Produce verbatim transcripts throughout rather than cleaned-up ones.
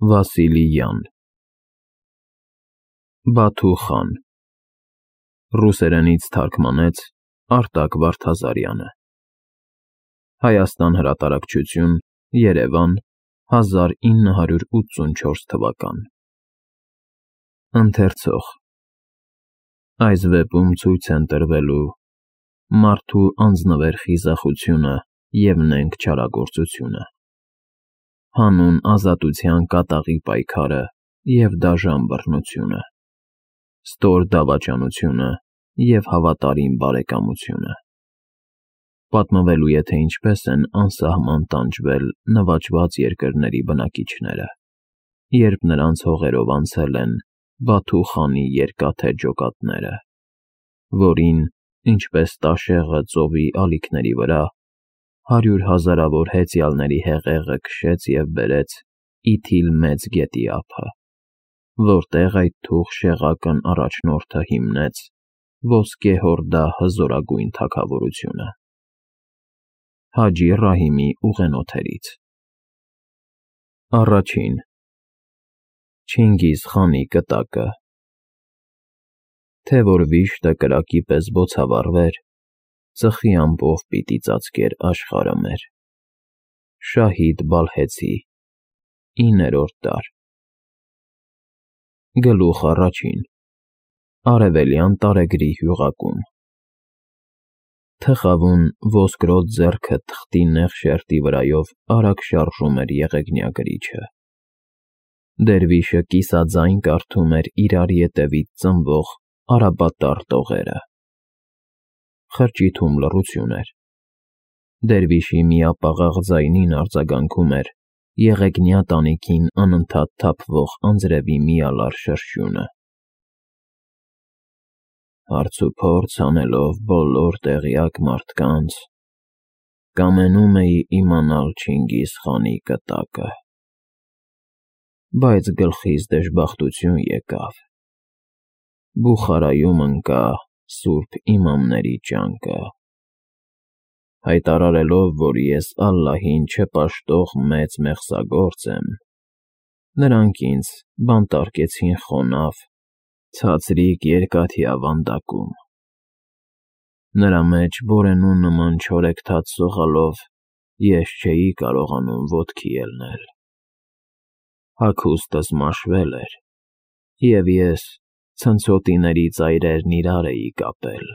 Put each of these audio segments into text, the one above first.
Վասիլի Յան Բաթու խան Ռուսերենից թարգմանեց Արտակ Վարդազարյանը Հայաստան հրատարակչություն Երևան հազար ինը հարյուր ութսունչորս թվական Ընթերցող Այս վեպում ցույց են տրվելու մարդու անձնվեր խիզախությունը և նենգ չարագործությունը հանուն ազատության կատաղի պայքարը և դաժան բռնությունը, ստոր դավաճանությունը և հավատարիմ բարեկամությունը։ Պատմվելու է, թե ինչպես են անսահման տանջվել նվաճված երկրների բնակիչները, երբ նրանց հողերով անցել են Բաթու խանի երկաթե ջոկատները, որին, ինչպես տաշեղը ծովի ալիքների վրա, հարյուր հազարավոր հեծյալների հեղեղը քշեց և բերեց Իթիլ մեծ գետի ափը, որտեղ այդ թուխ շեղակն առաջնորդը հիմնեց Ոսկե-Հորդա հզորագույն թագավորությունը։ Հաջի Ռահիմի ուղենոթերից Առաջին Չինգիզ խանի կտակը Թե որ վիշտը կրակի պես բոցավառվեր, ծխի ամպով պիտի ծածկեր աշխարհը մեր։ Շահիդ Բալխեցի իններորդ դար Գլուխ առաջին Արևելյան տարեգրի հյուղակում Թխավուն ոսկրոտ ձեռքը թղթի նեղ շերտի վրայով արագ շարժում էր եղեգնյա գրիչը։ Դերվիշը կիսաձայն կարդում էր իրար ետևից ծնվող արաբատար տողերը։ Խրճիթում լռություն էր։ Դերվիշի միապաղաղ ձայնին արձագանքում էր եղեգնյա տանիքին անընդհատ թափվող անձրևի միալար շրշյունը։ Հարցուփորձ անելով բոլոր տեղյակ մարդկանց, կամենում էի իմանալ Չինգիզ խանի կտակը, բայց գլխիս դժբախտություն եկավ։ Բուխարայում ընկա սուրբ իմամների ճանկը, հայտարարելով, որ ես ալլահին չպաշտող մեծ մեղսագործ եմ, նրանք ինձ բանտարկեցին խոնավ, ցածրիկ երկաթյա վանդակում։ Նրա մեջ բորենու նման չորեքթաթ սողալով ես չէի կարողանում ոտքի ելնել։ Հագուստս մաշվել էր, և ես ցնցոտիների ծայրերն իրար էի կապել։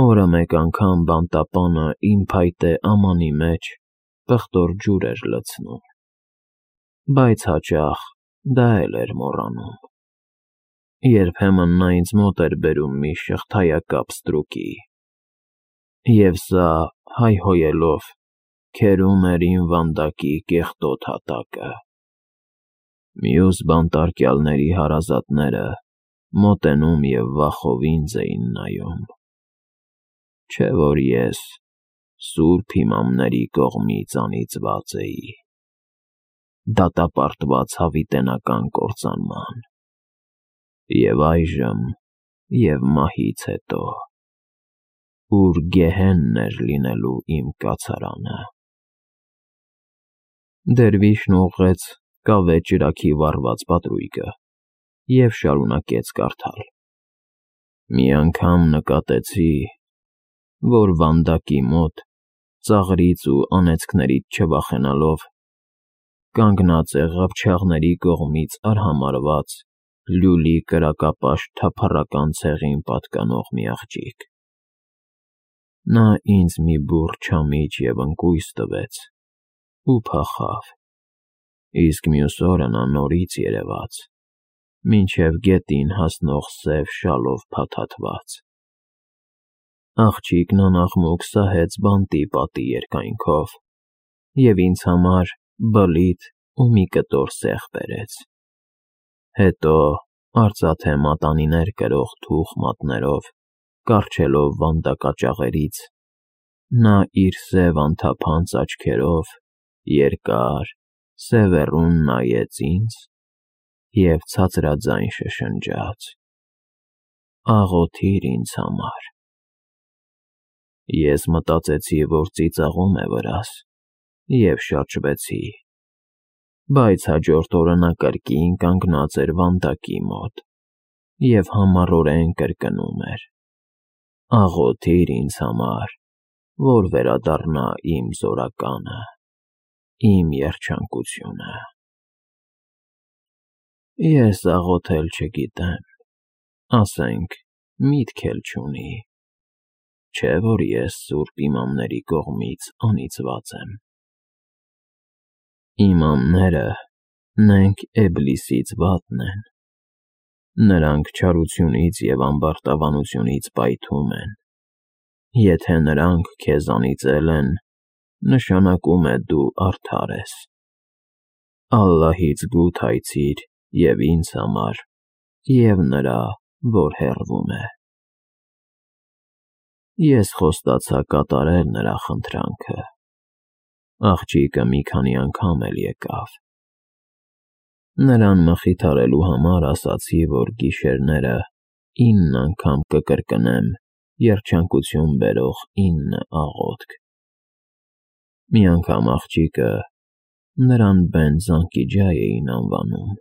Օրը մեկ անգամ բանտապանը իմ փայտե ամանի մեջ պղտոր ջուր էր լցնում, բայց հաճախ դա էլ էր մոռանում։ Երբեմն նա ինձ մոտ էր բերում մի շղթայակապ ստրուկի, և սա, հայհոյելով, քերում էր իմ վանդակի կեղտոտ հատակը։ Մյուս բանտարկյալների հարազատները մոտենում և վախով ինձ էին նայում, չէ որ ես սուրբ իմամների կողմից անիծված էի, դատապարտված հավիտենական կործանման, և այժմ և մահից հետո, ուր գեհենն էր լինելու իմ կացարանը։ Դերվիշն ուղղեց կավե ճրագի վառված պատրույգը և շարունակեց կարդալ։ Մի անգամ նկատեցի, որ վանդակի մոտ, ծաղրից ու անեծքներից չվախենալով, կանգնած է ղափչաղների կողմից արհամարհված լյուլի կրակապաշտ թափառական ցեղին պատկանող մի աղջիկ։ Նա ինձ մի բուռ չամիչ և ընկույզ տվեց ու փախավ, իսկ մյուս օրը նա նորից երևաց, մինչև գետին հասնող սև շալով փաթաթված։ Աղջիկն անաղմուկ սահեց բանտի պատի երկայնքով և ինձ համար բլիթ ու մի կտոր սեղ բերեց։ Հետո, արծաթե մատանիներ կրող թուխ մատներով կառչելով վանդակաճաղերից, նա իր սև անթափանց աչքերով երկար, սևեռուն նայեց ինձ և ցածրաձայն շշնջաց. «Աղոթիր ինձ համար»։ Ես մտածեցի, որ ծիծաղում է վրաս, և շրջվեցի, Բայց հաջորդ օրը նա կրկին կանգնած էր վանդակի մոտ և համառորեն կրկնում էր. «Աղոթիր ինձ համար, որ վերադառնա իմ զորականը, իմ երջանկությունը»։ Ես աղոթել չգիտեմ, ասենք, միտք էլ չունի, չէ՞ որ ես սուրբ իմամների կողմից անիծված եմ։ Իմամները նենք Էբլիսից վատն են, նրանք չարությունից և ամբարտավանությունից պայթում են, եթե նրանք քեզ անիծել են, նշանակում է դու արդար ես։ Ալլահից գութայցիր և ինձ համար, և նրա, որ հեռվում է։ Ես խոստացա կատարել նրա խնդրանքը, աղջիկը մի քանի անգամ էլ եկավ։ Նրան մխիթարելու համար ասացի, որ գիշերները ինն անգամ կկրկնեմ երջանկություն բերող ինը աղոթք։ Մի անգամ աղջիկը, նրան Բեն-Զանկիջա էին անվանում,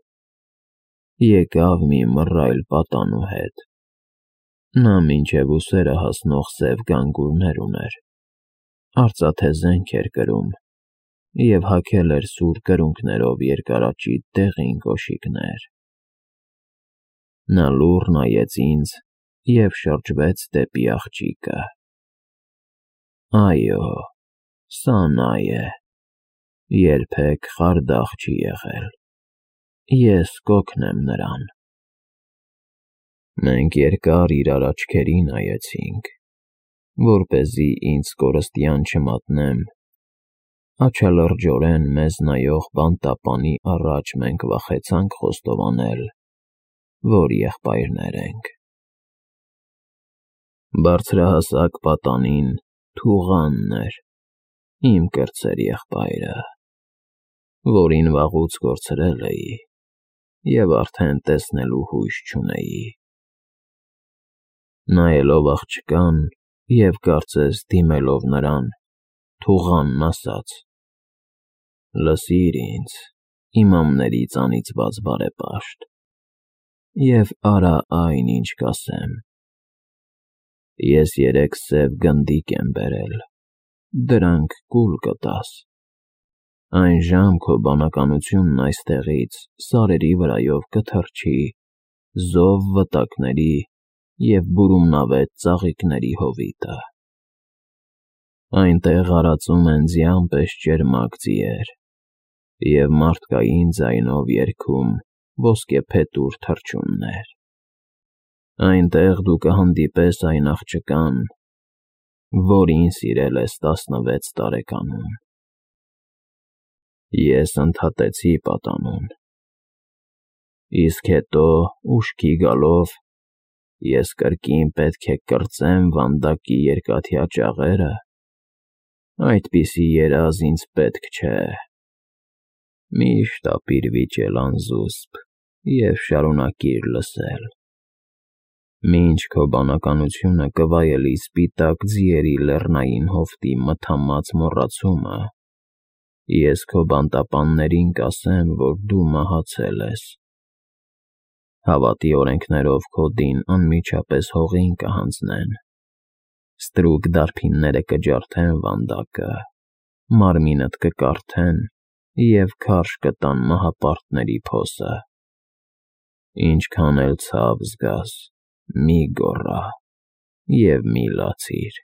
եկավ մի մռայլ պատանու հետ, նա մինչև ուսերը հասնող սև գանգուրներ ուներ, արծաթե զենք էր կրում և հագել էր սուր կրունկներով երկարաճիտ դեղին կոշիկներ։ Նա լուռ նայեց ինձ և շրջվեց դեպի աղջիկը. «Այո, սա նա է, երբեք խարդախ չի եղել, ես կօգնեմ նրան»։ Մենք երկար իրար աչքերի նայեցինք, որպեսզի ինձ կորստյան չմատնեմ, աչալրջորեն մեզ նայող բանտապանի առաջ մենք վախեցանք խոստովանել, որ եղբայրներ ենք։ Բարձրահասակ պատանին Թուղանն էր, իմ կրտսեր եղբայրը, որին վաղուց կորցրել էի և արդեն տեսնելու հույս չունեի։ Նայելով աղջկան և կարծես դիմելով նրան, Թուղանն ասաց. «Լսիր ինձ, իմամներից անիծված բարեպաշտ, և արա այն, ինչ կասեմ։ Ես երեք սև գնդիկ եմ բերել, դրանք կուլ կտաս։ Այն ժամ քո բանականությունն այստեղից սարերի վրայով կթռչի զով վտակների և բուրումնավետ ծաղիկների հովիտը։ Այնտեղ արածում են ձյան պես ճերմակ ձիեր և մարդկային ձայնով երգում ոսկեփետուր թռչուններ։ Այնտեղ դու կհանդիպես այն աղջկան, որին սիրել ես տասնվեց տարեկանում։ Ես ընդհատեցի պատանուն, իսկ հետո, ուշքի գալով, ես կրկին պետք է կրծեմ վանդակի երկաթյա ճաղերը։ Այդպիսի երազ ինձ պետք չէ։ Միշտ ապիր վիճել անզուսպ և շարունակիր լսել, մինչ քո բանականությունը կվայելի սպիտակ ձիերի լեռնային հովտի մթամած մոռացումը, ես քո բանտապաններին կասեմ, որ դու մահացել ես։ Հավատի օրենքներով քո դին անմիջապես հողին կհանձնեն, ստրուկ դարբինները կջարդեն վանդակը, մարմինդ կկարդեն և քարշ կտան մահապարտների փոսը։ Ինչքան էլ ցավ զգաս, մի գոռա և մի լացիր,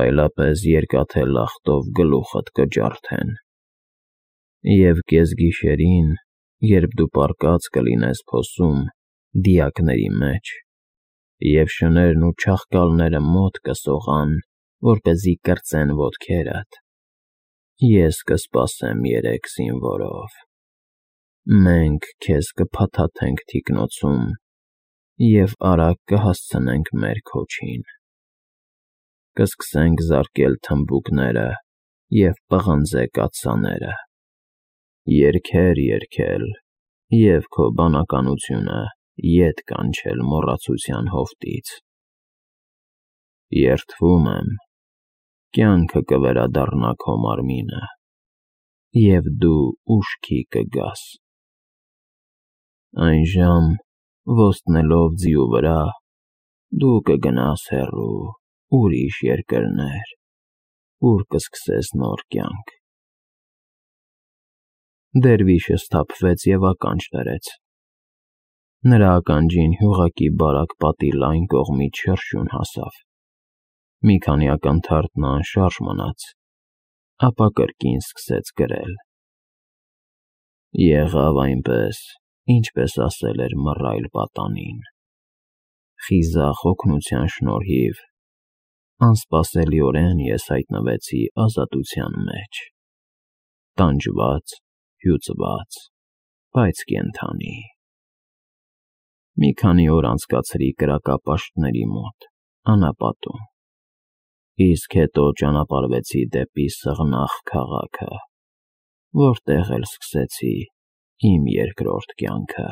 այլապես երկաթե լախտով գլուխդ կջարդեն։ Եվ կեսգիշերին, երբ դու պառկած կլինես փոսում, դիակների մեջ, և շներն ու չաղկալները մոտ կսողան, որպեսզի կրծեն ոտքերդ, ես կսպասեմ երեք զինվորով։ Մենք քեզ կփաթաթենք թիկնոցում և արագ կհասցնենք մեր քոչին։ Կսկսենք զարկել թմբուկները և պղնձե կաթսաները, երգեր երգել և քո բանականությունը ետ կանչել մոռացության հովտից։ Երդվում եմ, կյանքը կվերադառնա քո մարմինը, և դու ուշքի կգաս։ Այն ժամ, ոստնելով ձիու վրա, դու կգնաս հեռու, ուրիշ երկրներ, ուր կսկսես նոր կյանք։ Դերվիշը սթափվեց և ականջ դրեց։ Նրա ականջին հյուղակի բարակ պատի լայն կողմից շրշյուն հասավ։ Մի քանի ակնթարթ նա անշարժ մնաց, ապա կրկին սկսեց գրել. «Եղավ այնպես, ինչպես ասել էր մռայլ պատանին։ Խիզախ օգնության շնորհիվ անսպասելիորեն ես հայտնվեցի ազատության մեջ, տանջված, հյուծված, բայց կենդանի։ Մի քանի օր անցկացրի կրակապաշտների մոտ, անապատում, իսկ հետո ճանապարհվեցի դեպի Սղնաղ քաղաքը, որտեղ էլ սկսեցի իմ երկրորդ կյանքը»։